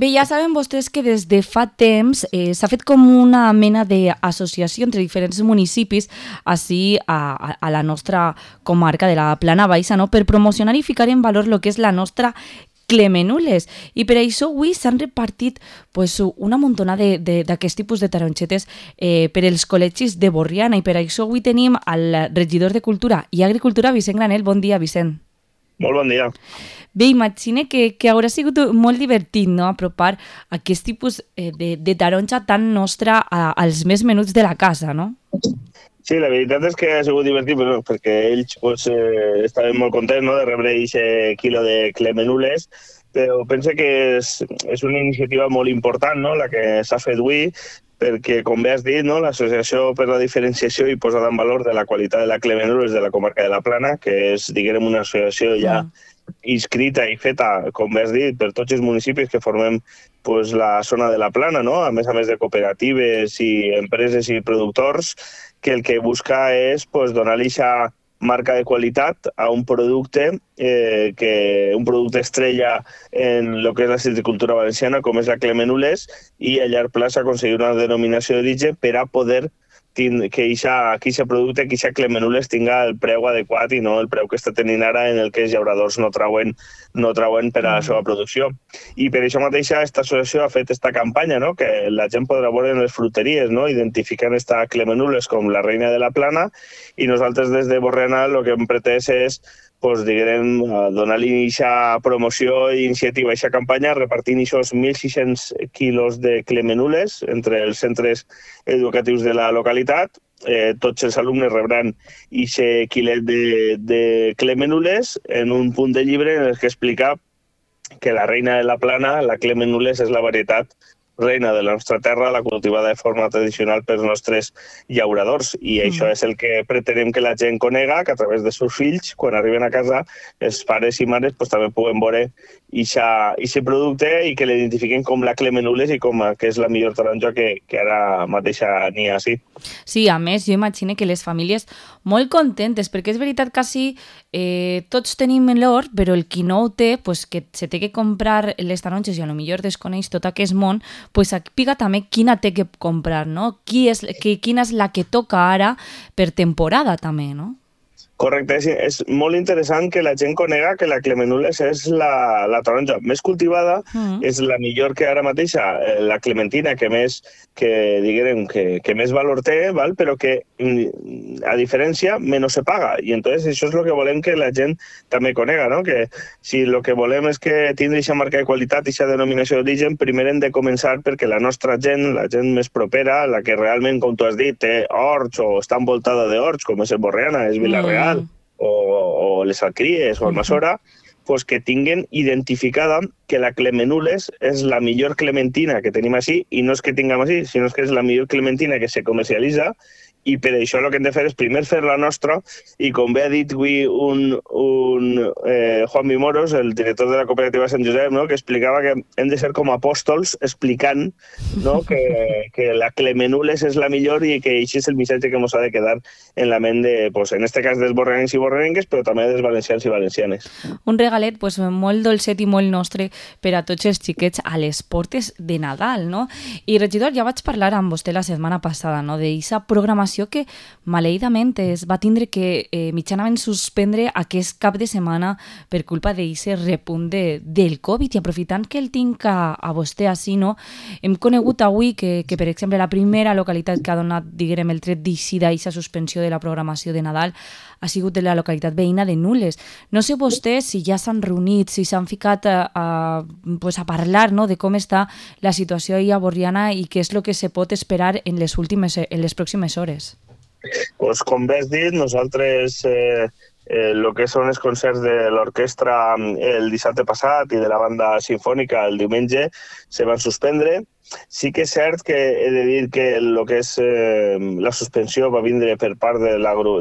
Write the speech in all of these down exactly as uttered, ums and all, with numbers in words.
Bé, ja saben vostès que des de fa temps eh, s'ha fet com una mena d'associació entre diferents municipis així a, a, a la nostra comarca de la Plana Baixa, no? Per promocionar i ficar en valor el que és la nostra Clemenules, i per això avui s'han repartit pues, una muntona d'aquest tipus de taronxetes eh, per als col·legis de Borriana, i per això avui tenim el regidor de Cultura i Agricultura, Vicent Granell. Bon dia, Vicent. Molt bon dia. Bé, imagine que, que haurà sigut molt divertit, no?, apropar aquest tipus eh, de, de taronxa tan nostra a, als més menuts de la casa, no? Sí, la veritat és que ha sigut divertit bueno, perquè ells pues, eh, estaven molt contents, no?, de rebre aquest quilo de Clemenules, però penso que és, és una iniciativa molt important, no?, la que s'ha fet avui, perquè, com bé has dit, no?, l'Associació per la Diferenciació i Posada en Valor de la Qualitat de la Clemenules de la comarca de la Plana, que és, diguem, una associació ja mm. inscrita i feta, com bé has dit, per tots els municipis que formem pues, la zona de la Plana, no?, a més a més de cooperatives i empreses i productors, que el que busca és pues, donar-li aquesta marca de qualitat a un producte, eh, que, un producte estrella en el que és la silvicultura valenciana, com és la Clemenules, i a llarg plaç aconseguir una denominació d'origen per a poder que aquest producte, que aquesta Clemenules tinga el preu adequat i no el preu que està tenint ara en el que els llauradors no trauen, no trauen per a la seva producció. I per això mateixa aquesta associació ha fet aquesta campanya, no?, que la gent podrà veure en les fruteries, no?, identificant aquesta Clemenules com la reina de la Plana, i nosaltres des de Borriana el que hem pretès és pues, diguem, donar-li aquesta promoció i iniciativa a aquesta campanya, repartint aquests mil sis-cents quilos de Clemenules entre els centres educatius de la localitat. Eh, tots els alumnes rebran aquest quilet de, de Clemenules en un punt de llibre en el que explica que la reina de la Plana, la Clemenules, és la varietat reina de la nostra terra, la cultivada de forma tradicional pels nostres llauradors. I mm. això és el que pretenem que la gent conega, que a través dels seus fills, quan arriben a casa, els pares i mares pues, també puguen veure aquest producte i que l'identifiquen com la Clemenules i com que és la millor taronja que, que ara mateixa n'hi ha, sí. Sí, a més, jo imagino que les famílies molt contentes, perquè és veritat que sí, eh, tots tenim l'or, però el qui no ho té, pues, que se té que comprar les taronges i a lo millor desconeix tot aquest món, pues pica també quina té que comprar, no? Qui és, que, quina és la que toca ara per temporada també, no? Correcte, és, és molt interessant que la gent conega que la Clemenules és la, la taronja més cultivada, mm. és la millor que ara mateixa, la clementina que més, que, diguem, que, que més valor té, val? Però que a diferència menys se paga. I entonces això és el que volem que la gent també conega, no? Que si el que volem és que tingui aquesta marca de qualitat i aquesta denominació d'origen, primer hem de començar perquè la nostra gent, la gent més propera, la que realment, com tu has dit, té horts o està envoltada d'horts, com és el Borriana, és Vila-real, mm. O, o les Alcries o Almassora, pues que tinguen identificada que la Clemenules és la millor clementina que tenim així, i no és que tinguem així, sinó que és la millor clementina que se comercialitza, i per això el que hem de fer és primer fer la nostra, i com bé ha dit avui un, un eh, Juan Vimoros, el director de la cooperativa Sant Josep, no?, que explicava que hem de ser com apòstols explicant, no?, que, que la Clemenules és la millor i que això és el missatge que ens ha de quedar en la ment de, pues, en este cas dels borrencs i borrenques, però també dels valencians i valencianes. Un regalet pues, molt dolcet i molt nostre per a tots els xiquets a les portes de Nadal, no? I regidor, ja vaig parlar amb vostè la setmana passada, no?, d'aquesta programació que maleïdament es va tindre que eh, mitjanament suspendre aquest cap de setmana per culpa d'aquest repunt de, del Covid. I aprofitant que el tinc a, a vostè així, no? Hem conegut avui que, que, per exemple, la primera localitat que ha donat, diguem, el tret d'eixida i aquesta suspensió de la programació de Nadal ha sigut de la localitat veïna de Nules. No sé vostès si ja s'han reunit, si s'han ficat a, a, pues a parlar, no?, de com està la situació a Borriana i què és el que se pot esperar en les, últimes, en les pròximes hores. Pues, com bé has dit, nosaltres eh, eh, el que són els concerts de l'orquestra el dissabte passat i de la banda sinfònica el diumenge se van suspendre. Sí que és cert que he de dir que el que és eh, la suspensió va vindre per part de,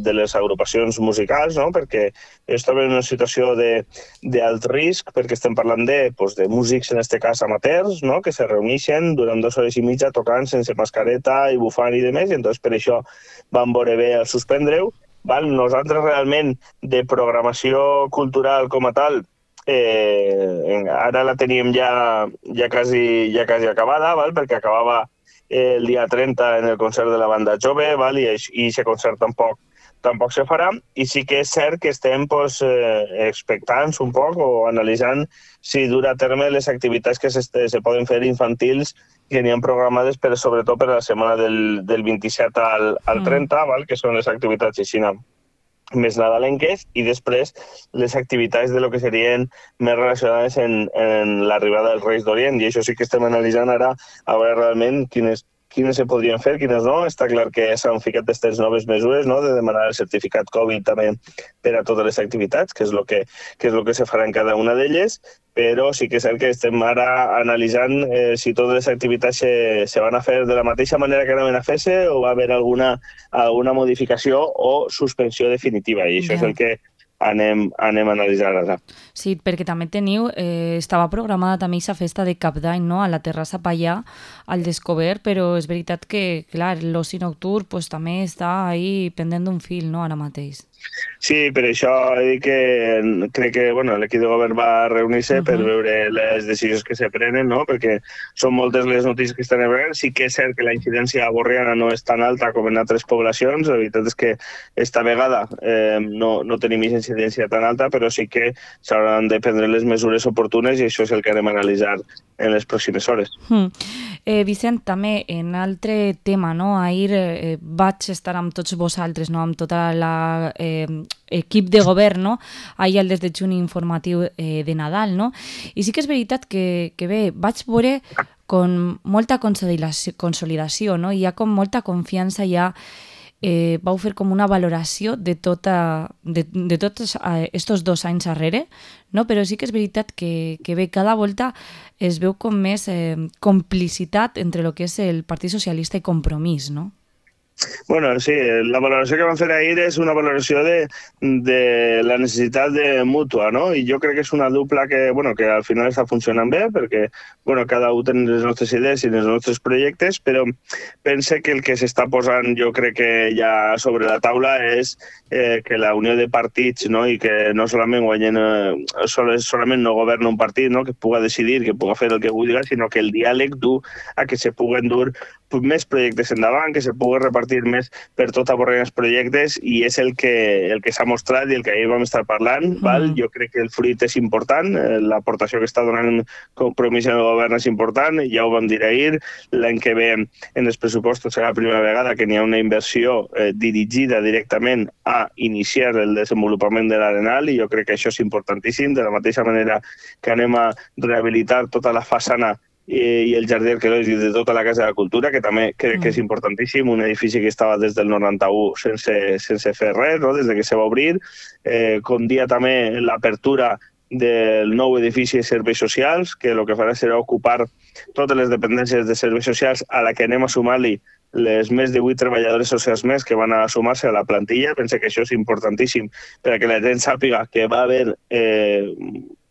de les agrupacions musicals, no?, perquè estaven en una situació d'alt risc, perquè estem parlant de, pues, de músics, en aquest cas amateurs, no?, que se reuneixen durant dues hores i mitja tocant sense mascareta i bufant i demés, i entonces per això van veure bé el suspendre-ho. Nosaltres realment de programació cultural com a tal eh, ara la teníem ja, ja, quasi, ja quasi acabada, val? Perquè acabava el dia trenta en el concert de la banda jove, val? I aquest concert tampoc tampoc se farà, i sí que és cert que estem pues, eh, expectants un poc o analitzant si dura a terme les activitats que se, se poden fer infantils que n'hi ha programades, però sobretot per a la setmana del, del vint-i-set al, al trenta, mm. val? Que són les activitats així més nadalenques, i després les activitats de lo que serien més relacionades en, en l'arribada dels Reis d'Orient, i això sí que estem analitzant ara a veure realment quines quines se podrien fer, quines no. Està clar que s'han ficat aquestes noves mesures, no?, de demanar el certificat Covid també per a totes les activitats, que és el que, que, és lo que se farà en cada una d'elles, però sí que és cert que estem ara analitzant eh, si totes les activitats se, se van a fer de la mateixa manera que anaven a fer-se o va haver alguna, alguna modificació o suspensió definitiva, i això yeah. és el que anem, anem a analitzar ara. Sí, perquè també teniu, eh, estava programada també aquesta festa de Cap d'Any, no?, a la terrassa Pallà, al Descobert, però és veritat que, clar, l'oci nocturn pues, també està ahí pendent d'un fil, no?, ara mateix. Sí, per això he dit que crec que bueno, l'equip de govern va reunir-se uh -huh. per veure les decisions que se prenen, no? Perquè són moltes les notícies que estan veient. Sí que és cert que la incidència a Borriana no és tan alta com en altres poblacions. La veritat és que esta vegada eh, no, no tenim incidència tan alta, però sí que s'hauran de prendre les mesures oportunes i això és el que anem a analitzar en les pròximes hores. Mm. Eh, Vicent, també en altre tema, no? Ahir eh, vaig estar amb tots vosaltres, no? Amb tota la eh, equip de govern, no? Ahir al desdejuni informatiu eh, de Nadal, no? I sí que és veritat que, que bé, vaig veure con molta consolidació, consolidació, no? Hi ha com molta confiança ja. Eh, vau fer com una valoració de, tota, de, de tots aquests dos anys darrere, no? Però sí que és veritat que, que bé, cada volta es veu com més eh, complicitat entre el que és el Partit Socialista i Compromís, no? Bueno, sí, la valoració que vam fer ahir és una valoració de, de la necessitat de mútua, no? I jo crec que és una dupla que, bueno, que al final està funcionant bé, perquè bueno, cada un té les nostres idees i els nostres projectes, però pense que el que s'està posant, jo crec que ja sobre la taula és eh, que la unió de partits, no? I que no solament guanyen, eh, solament no governa un partit, no? Que puga decidir, que puga fer el que vulgui, sinó que el diàleg du a que se puguen dur més projectes endavant, que se pugui repartir més per tot Borriana els projectes, i és el que, el que s'ha mostrat i el que ahir vam estar parlant. Mm. Val? Jo crec que el fruit és important, l'aportació que està donant Compromís en el govern és important, ja ho vam dir ahir. L'any que ve en els pressupostos serà la primera vegada que n'hi ha una inversió eh, dirigida directament a iniciar el desenvolupament de l'Arenal, i jo crec que això és importantíssim, de la mateixa manera que anem a rehabilitar tota la façana i el jardí arqueològic de tota la Casa de la Cultura, que també crec que és importantíssim, un edifici que estava des del noranta-u sense, sense fer res, no? Des de que se va obrir. Eh, com dia també l'apertura del nou edifici de serveis socials, que el que farà serà ocupar totes les dependències de serveis socials, a la que anem a sumar-li les més de vuit treballadores socials més que van a sumar-se a la plantilla. Penso que això és importantíssim perquè la gent sàpiga que va haver eh,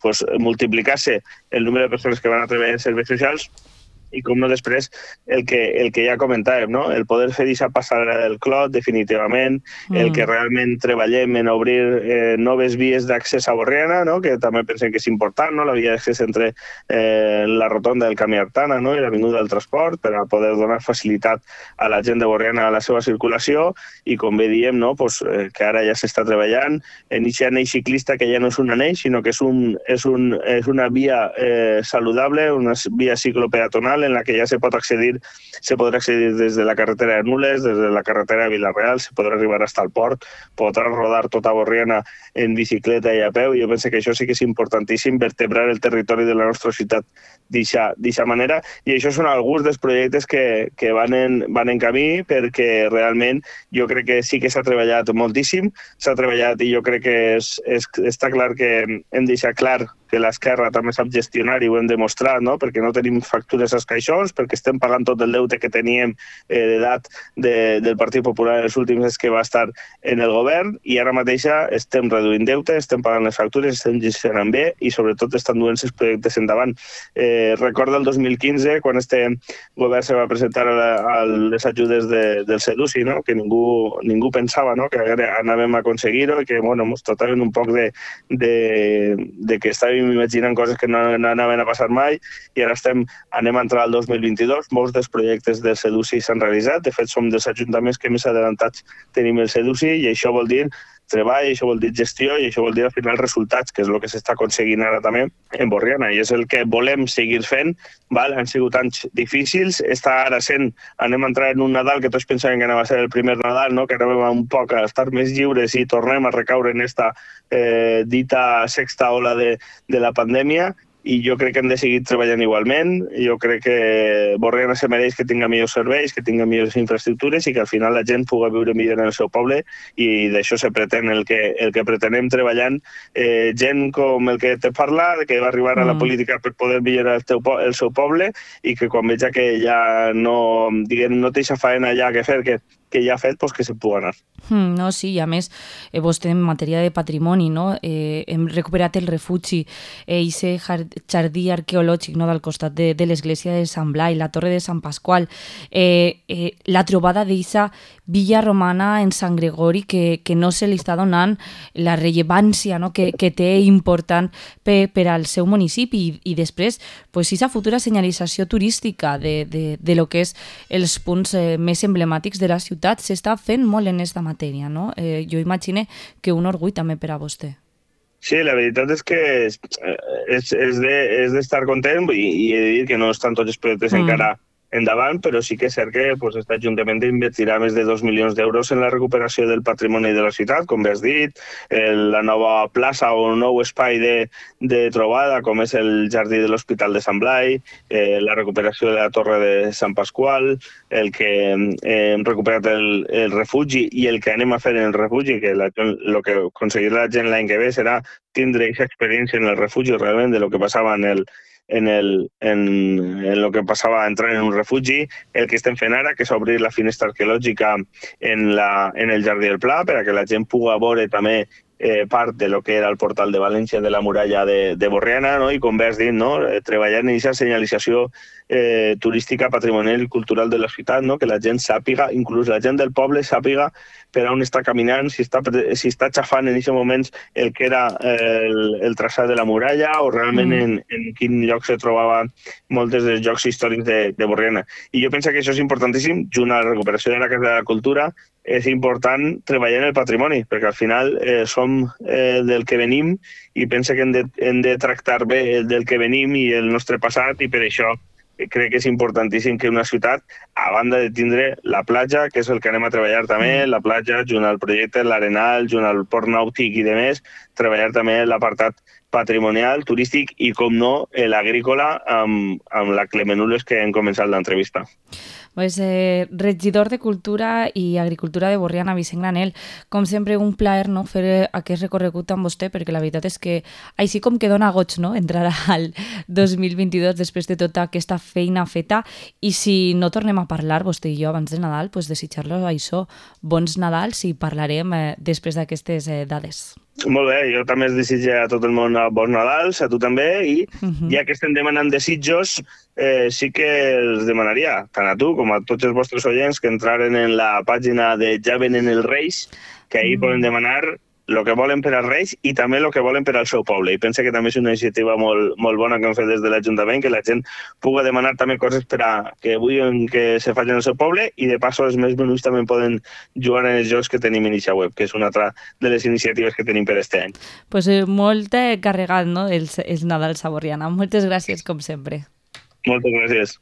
pues, multiplicar-se el número de persones que van a treballar en serveis socials, i com no després el que, el que ja comentàvem, no? El poder fer aquesta passada del clot definitivament, mm. el que realment treballem en obrir eh, noves vies d'accés a Borriana, no? Que també pensem que és important, no? La via d'accés entre eh, la rotonda del Camí Artana, no? I l'avinguda del Transport, per a poder donar facilitat a la gent de Borriana a la seva circulació, i com bé diem, no? Pues, eh, que ara ja s'està treballant en aquest anell ciclista, que ja no és un anell, sinó que és, un, és, un, és una via eh, saludable, una via ciclopeatonal en la que ja se pot accedir, se podrà accedir des de la carretera de Nules, des de la carretera de Vila-real, se podrà arribar fins al port, podrà rodar tota Borriana en bicicleta i a peu. Jo penso que això sí que és importantíssim, vertebrar el territori de la nostra ciutat d'aquesta manera, i això són alguns dels projectes que, que van, en, van en camí, perquè realment jo crec que sí que s'ha treballat moltíssim, s'ha treballat, i jo crec que és, és, està clar que hem deixat clar que l'esquerra també sap gestionar, i ho hem demostrat, no? Perquè no tenim factures als caixons, perquè estem pagant tot el deute que teníem eh, d'edat de, del Partit Popular en els últims anys que va estar en el govern, i ara mateixa estem reduint deute, estem pagant les factures, estem gestionant bé, i sobretot estan duent els projectes endavant. Eh, recorda el dos mil quinze, quan este govern se va presentar a, la, a les ajudes de, del Seduci, no? Que ningú, ningú pensava, no? Que anàvem a aconseguir-ho, i que bueno, ens trataven un poc de, de, de que estàvem estàvem imaginant coses que no, no anaven a passar mai i ara estem, anem a entrar al dos mil vint-i-dos, molts dels projectes del Seduci s'han realitzat, de fet som dels ajuntaments que més adelantats tenim el Seduci i això vol dir treball, això vol dir gestió i això vol dir al final resultats, que és el que s'està aconseguint ara també en Borriana i és el que volem seguir fent. Val? Han sigut anys difícils, està ara sent, anem a entrar en un Nadal que tots pensaven que anava a ser el primer Nadal, no? Que anàvem un poc a estar més lliures i tornem a recaure en esta eh, dita sexta ola de, de la pandèmia i jo crec que hem de seguir treballant igualment. Jo crec que Borriana se mereix que tinga millors serveis, que tinga millors infraestructures i que al final la gent pugui viure millor en el seu poble i d'això se pretén el que, el que pretenem treballant. Eh, gent com el que te parla, que va arribar a la política per poder millorar el, teu, el seu poble i que quan veja que ja no, diguem, no té aquesta faena ja que fer, que que ja ha fet, pues, que se pugui anar. Mm, no, sí, i a més, eh, vostè en matèria de patrimoni, no? eh, hem recuperat el refugi, eh, ese jardí arqueològic, no? Del costat de, de l'església de Sant Blai, la torre de Sant Pasqual, eh, eh, la trobada d'eixa villa romana en Sant Gregori que, que no se li està donant la rellevància, no? que, que té important per, per al seu municipi i, i després, pues, esa futura senyalització turística de, de, de lo que és els punts eh, més emblemàtics de la ciutat s'està fent molt en aquesta matèria, no? Eh, jo imagine que un orgull també per a vostè. Sí, la veritat és que és, és, és d'estar de, content i, i he de dir que no estan tots els projectes mm. encara endavant, però sí que és cert que pues, aquest Ajuntament invertirà més de dos milions d'euros en la recuperació del patrimoni de la ciutat, com bé has dit, el, la nova plaça o un nou espai de, de trobada, com és el jardí de l'Hospital de Sant Blai, eh, la recuperació de la torre de Sant Pasqual, el que eh, hem recuperat el, el refugi i el que anem a fer en el refugi, que la, el que aconseguirà la gent l'any que ve serà tindre aquesta experiència en el refugi realment de lo que passava en el en el en, en lo que passava a entrar en un refugi, el que estem fent ara, que és obrir la finestra arqueològica en, la, en el Jardí del Pla, per a que la gent pugui veure també eh, part de lo que era el portal de València de la muralla de, de Borriana, no? I com bé has dit, no? Treballar en aquesta senyalització eh, turística, patrimonial i cultural de la ciutat, no? Que la gent sàpiga, inclús la gent del poble sàpiga per on està caminant, si està, si està xafant en aquests moments el que era el, el traçat de la muralla o realment mm. en, en quin lloc se trobava molts dels llocs històrics de, de Borriana. I jo penso que això és importantíssim, junt a la recuperació de la Casa de la Cultura, és important treballar en el patrimoni, perquè al final eh, som eh, del que venim i penso que hem de, hem de tractar bé el del que venim i el nostre passat i per això crec que és importantíssim que una ciutat, a banda de tindre la platja, que és el que anem a treballar també, la platja, junt al projecte, l'Arenal, junt al port nàutic i de més, treballar també l'apartat patrimonial, turístic i, com no, l'agrícola amb, amb la Clemenules que hem començat l'entrevista. Pues, eh, regidor de Cultura i Agricultura de Borriana, Vicent Granell, com sempre un plaer, no, fer aquest recorregut amb vostè, perquè la veritat és que així com que dona goig, no, entrar al dos mil vint-i-dos després de tota aquesta feina feta i si no tornem a parlar, vostè i jo, abans de Nadal, pues desitjar-los això, bons Nadals i parlarem eh, després d'aquestes eh, dades. Molt bé, jo també es desitjo a tot el món bons Nadals, a tu també, i uh-huh. ja que estem demanant desitjos, eh, sí que els demanaria, tant a tu com a tots els vostres oients, que entraren en la pàgina de Ja venen els Reis, que ahir uh-huh. poden demanar el que volen per als Reis i també el que volen per al seu poble. I penso que també és una iniciativa molt, molt bona que hem fet des de l'Ajuntament, que la gent pugui demanar també coses per a que vulguin que se facin al seu poble i de passo els més menuts també poden jugar en els jocs que tenim en aquesta web, que és una altra de les iniciatives que tenim per aquest any. Pues eh, molt carregat, no?, els, els Nadals a Borriana. Moltes gràcies, com sempre. Moltes gràcies.